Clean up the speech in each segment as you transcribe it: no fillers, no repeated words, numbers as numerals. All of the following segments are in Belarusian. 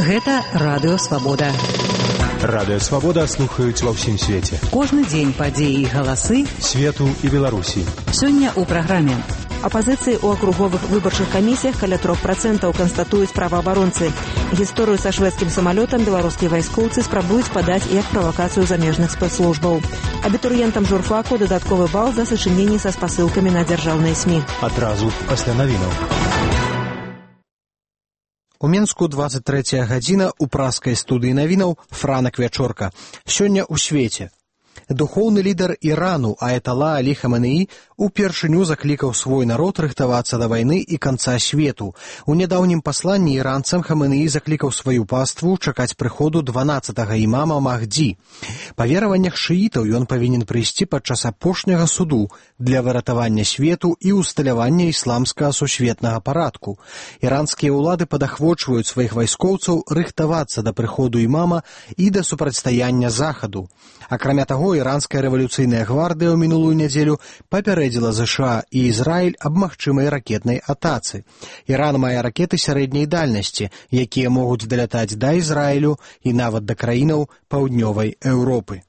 Гэта Радыё Свабода. Радыё Свабода слухаюць ва ўсім свеце. Кожны дзень падзеі і галасы свету і Беларусі. Сёння ў праграме. Апазіцыі ў акруговых выбарчых камісіях каля 3% канстатуюць праваабаронцы. Гісторыю са шведскім самалётам беларускія вайскоўцы спрабуюць падаць як правакацыю замежных спецслужбаў. Абітурыентам журфаку дадатковы бал за сачыненні са спасылкамі на дзяржаўныя СМІ. Адразу пасля навінаў. У Менску 23 гадзіна ў праскай студыі навінаў Франак Вячорка. Сёння ў свеце. Духоўны лідар Ірану Аятала Алі Хаменеі упершыню заклікаў свой народ рыхтавацца да вайны і канца свету. У нядаўнім пасланні іранцам Хаменеі заклікаў сваю паству чакаць прыходу 12-га імама Махдзі. Па вераваннях шыітаў ён павінен прыйсці падчас апошняга суду для выратавання свету і усталявання ісламскага сусветнага парадку. Іранскія ўлады падахвочваюць сваіх вайскоўцаў рыхтавацца да прыходу імама і да супрацьстаяння захаду. Акрамя таго, іранская рэвалюцыйная гвардыя ў мінулую нядзелю папярэдзіла ЗША і Ізраіль аб магчымай ракетнай атацы. Іран мае ракеты сярэдняй дальнасці, якія могуць далятаць да Ізраілю і нават да краінаў паўднёвай Еўропы.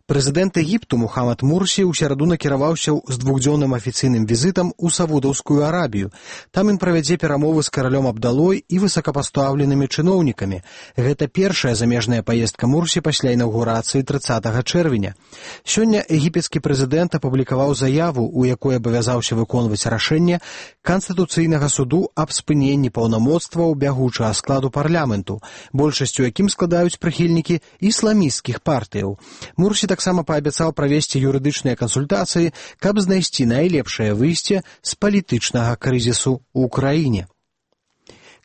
Прэзідэнт Егіпту Мухаммад Мурсі ў сераду накіраваўся з двухдзённым афіцыйным візітам у Саудаўскую Арабію. Там ён правядзе перамовы з каралём Абдалой і высокапастаўленымі чыноўнікамі. Гэта першая замежная паездка Мурсі пасля інаўгурацыі 30 чэрвеня. Сёння егіпецкі прэзідэнт апублікаваў заяву, у якой абавязаўся выконваць рашэнне Канстытуцыйнага суду аб спыненні паўнамоцтваў бягучага складу парламенту, большасцю якім складаюць прыхільнікі ісламісцкіх партыяў. Мурсі таксама паабяцаў правесці юрыдычныя кансультацыі, каб знайсці найлепшае выйсце з палітычнага крызісу ў краіне.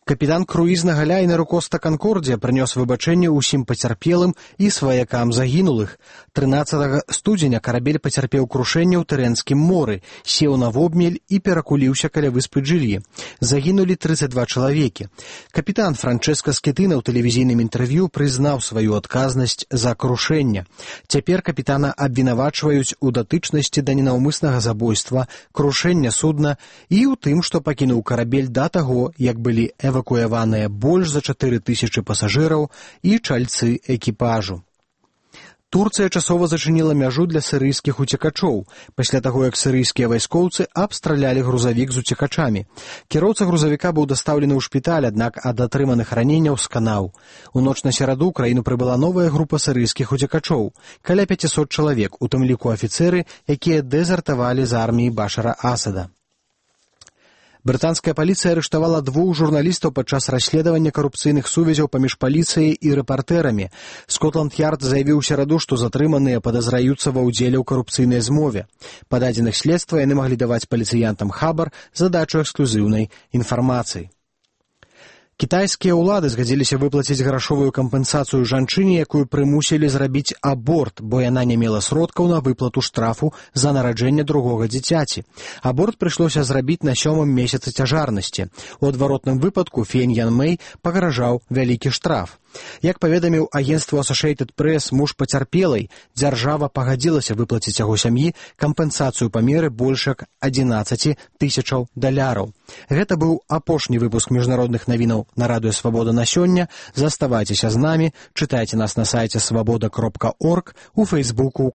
Капітан круізнага лайнеру Коста Канкордія прынёс выбачэнне ўсім пацярпелым і сваякам загінулых. 13 студзеня карабель пацярпеў крушэнне ў Тэрэнскім моры, сеў на вобмель і перакуліўся каля выспы Джилі. Загінулі 32 чалавекі. Капітан Франчэска Скетына ў тэлевізійным інтэрв'ю прызнаў сваю адказнасць за крушэнне. Цяпер капітана абвінавачваюць у датычнасці да ненаўмыснага забойства, крушэння судна і ў тым, што пакінуў карабель да таго, як былі эвакуяваныя больш за 4000 пасажыраў і чальцы экіпажу. Турцыя часова зачыніла мяжу для сірыйскіх уцекачоў, пасля таго, як сірыйскія вайскоўцы абстралялі грузавік з уцекачамі. Кіроўца грузавіка быў дастаўлены ў шпіталь, аднак ад атрыманых раненняў сканаў. У ноч на сераду ў краіну прыбыла новая група сірыйскіх уцекачоў, каля 500 чалавек, у тым ліку афіцэры, якія дэзертавалі з арміі Башара Асада. Брытанская паліцыя арыштавала 2 журналістаў падчас расследавання карупцыйных сувязяў паміж паліцыяй і рэпартэрамі. Скотланд-Ярд заявіў у сераду, што затрыманыя падазраюцца ва ўдзеле ў карупцыйнай змове. Па дадзеных следства яны маглі даваць паліцыянтам хабар задачу эксклюзіўнай інфармацыі. Кітайскія ўлады згадзіліся выплаціць грашовую кампенсацыю жанчыне, якую прымусілі зрабіць аборт, бо яна не мела сродкаў на выплату штрафу за нараджэнне другога дзіцяці. Аборт прыйшлося зрабіць на 7-м месяцы цяжарнасці. У адваротным выпадку Фень Ян Мэй пагражаў вялікі штраф. Як паведаміў агенцтву Associated Press муж пацярпелай, дзяржава пагадзілася выплаціць яго сям'і кампенсацыю памеры больш як $11 000. Гэта быў апошні выпуск міжнародных навінаў на Радыё Свабода на сёння. Заставайцеся з намі, чытайце нас на сайце свабода.орг, у Фейсбуку,